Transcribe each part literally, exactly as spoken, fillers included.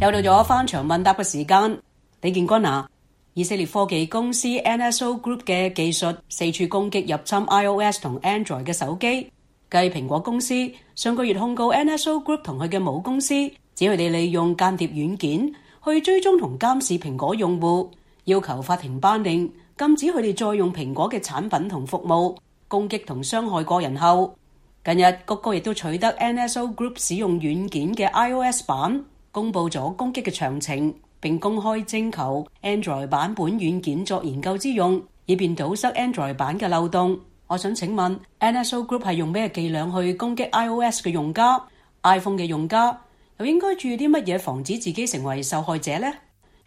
又到咗翻牆問答嘅時間，李建軍啊，以色列科技公司 N S O Group 嘅技術四處攻擊入侵 iOS 同 Android 嘅手機，繼蘋果公司上個月控告 N S O Group 同佢嘅母公司，指佢哋利用間諜軟件去追蹤同監視蘋果用戶，要求法庭頒令禁止佢哋再用蘋果嘅產品同服務攻擊同傷害個人後，近日谷歌亦都取得 N S O Group 使用軟件嘅 iOS 版，公佈咗攻擊嘅詳情，並公開徵求 Android 版本軟件作研究之用，以便堵塞 Android 版嘅漏洞。我想請問 N S O Group 係用咩伎倆去攻擊 iOS 嘅用家 ？iPhone 嘅用家又應該注意啲乜嘢防止自己成為受害者呢？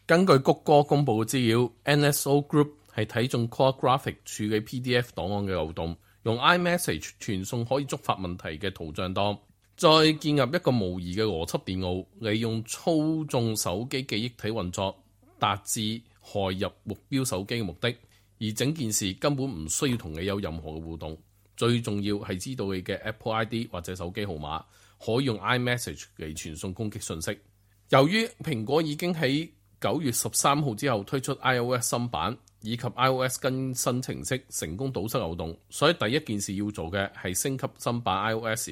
根據谷歌公佈嘅資料 ，N S O Group 係睇中 Core Graphics 處理 P D F 檔案嘅漏洞，用 iMessage 傳送可以觸發問題嘅圖像檔，再建立一個模擬嘅邏輯電腦，利用操縱手機記憶體運作，達至害入目標手機嘅目的。而整件事根本唔需要同你有任何嘅互動，最重要係知道你嘅 Apple I D 或者手機號碼，可以用 iMessage 嚟傳送攻擊信息。由於蘋果已經喺九月十三號之後推出 iOS 新版以及 iOS 更新程式，成功堵塞漏洞，所以第一件事要做嘅係升級新版 iOS。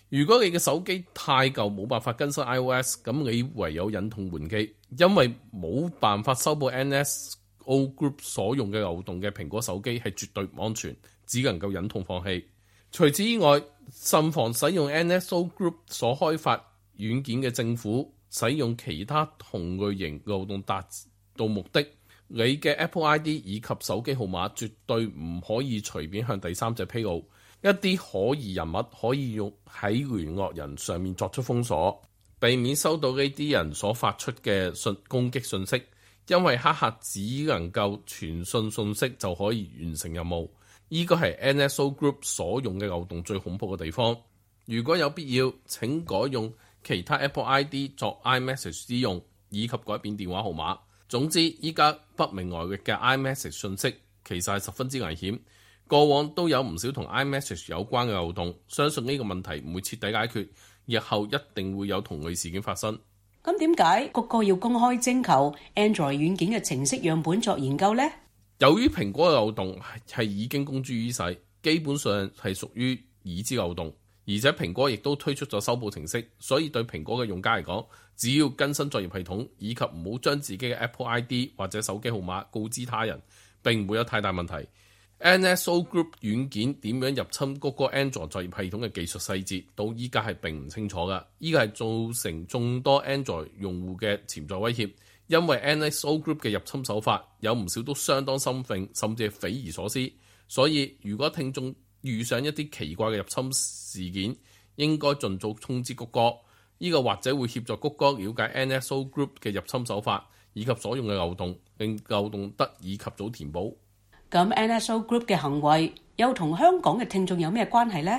如果你嘅手機太舊冇辦法更新 iOS， 咁你唯有忍痛換機，因為冇辦法修補 N S O Group 所用嘅漏洞嘅蘋果手機係絕對唔安全，只能夠忍痛放棄。除此以外，慎防使用 N S O Group 所開發軟件嘅政府使用其他同類型漏洞達到目的。你嘅 Apple I D 以及手機號碼絕對唔可以隨便向第三者披露。一啲可疑人物可以用喺聯絡人上面作出封鎖，避免收到呢啲人所發出嘅信攻擊信息。因為黑客只能夠傳信信息就可以完成任務，呢個係 N S O Group 所用嘅漏洞最恐怖嘅地方。如果有必要，請改用其他 Apple I D 作 iMessage 之用，以及改變電話號碼。總之，依家不明來歷嘅 iMessage 信息其實係十分之危險。過往都有唔少同 iMessage 有關嘅漏洞，相信呢個問題唔會徹底解決，日後一定會有同類事件發生。咁點解谷歌要公開徵求 Android 軟件嘅程式樣本作研究呢？由於蘋果嘅漏洞係已經公諸於世，基本上係屬於已知漏洞，而且蘋果亦都推出咗修補程式，所以對蘋果嘅用家嚟講，只要更新作業系統，以及唔好將自己嘅 Apple I D 或者手機號碼告知他人，並唔會有太大問題。N S O Group 軟件點樣入侵谷歌 Android 作業系統嘅技術細節，到依家係並唔清楚㗎。呢個係造成眾多 Android 用戶嘅潛在威脅，因為 N S O Group 嘅入侵手法有唔少都相當深闢，甚至係匪夷所思。所以如果聽眾遇上一啲奇怪嘅入侵事件，應該盡早通知谷歌。呢個或者會協助谷歌了解 N S O Group 嘅入侵手法以及所用嘅漏洞，令漏洞得以及早填補。咁 N S O Group 嘅行為又同香港嘅聽眾有咩關係呢？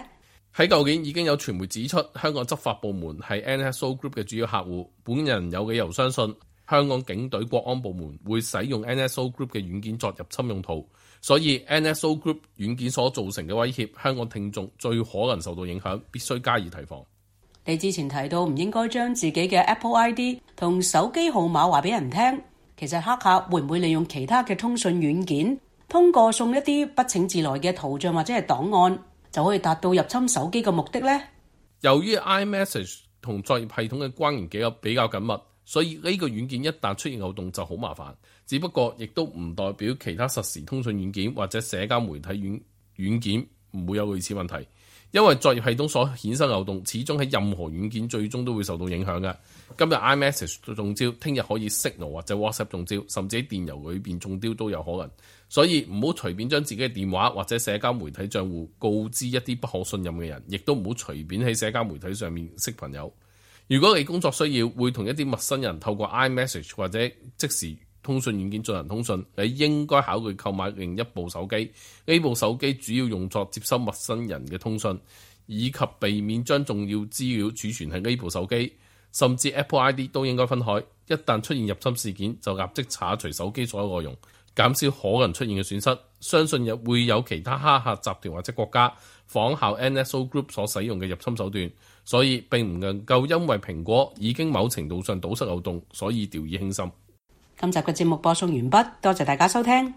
喺舊年已經有傳媒指出，香港執法部門係 N S O Group 嘅主要客戶。本人有理由相信，香港警隊國安部門會使用 N S O Group 嘅軟件作入侵用途，所以 N S O Group 軟件所造成嘅威脅，香港聽眾最可能受到影響，必須加以提防。你之前提到唔應該將自己嘅 Apple I D 同手機號碼話俾人聽，其實黑客會唔會利用其他嘅通訊軟件，通過送一啲不請自來嘅圖像或者係檔案，就可以達到入侵手機嘅目的呢？由於 iMessage 同作業系統嘅關聯記錄比較緊密，所以呢個軟件一旦出現漏洞就好麻煩。只不過亦都唔代表其他實時通訊軟件或者社交媒體軟軟件唔會有類似問題，因為作業系統所衍生漏洞始終喺任何軟件最終都會受到影響嘅。今日 iMessage 中招，聽日可以 Signal 或者 WhatsApp 中招，甚至喺電郵裏邊中招都有可能。所以唔好隨便將自己嘅電話或者社交媒體賬戶告知一啲不可信任嘅人，亦都唔好隨便喺社交媒體上面識朋友。如果你工作需要會同一啲陌生人透過 iMessage 或者即時通訊軟件進行通訊，你應該考慮購買另一部手機。呢部手機主要用作接收陌生人嘅通訊，以及避免將重要資料儲存喺呢部手機，甚至 Apple I D 都應該分開。一旦出現入侵事件，就立即剷除手機所有內容。減少可能出現嘅損失。相信又會有其他黑客集團或者國家仿效 N S O Group 所使用嘅入侵手段，所以並唔能夠因為蘋果已經某程度上堵塞漏洞，所以掉以輕心。今集嘅節目播送完畢，多謝大家收聽。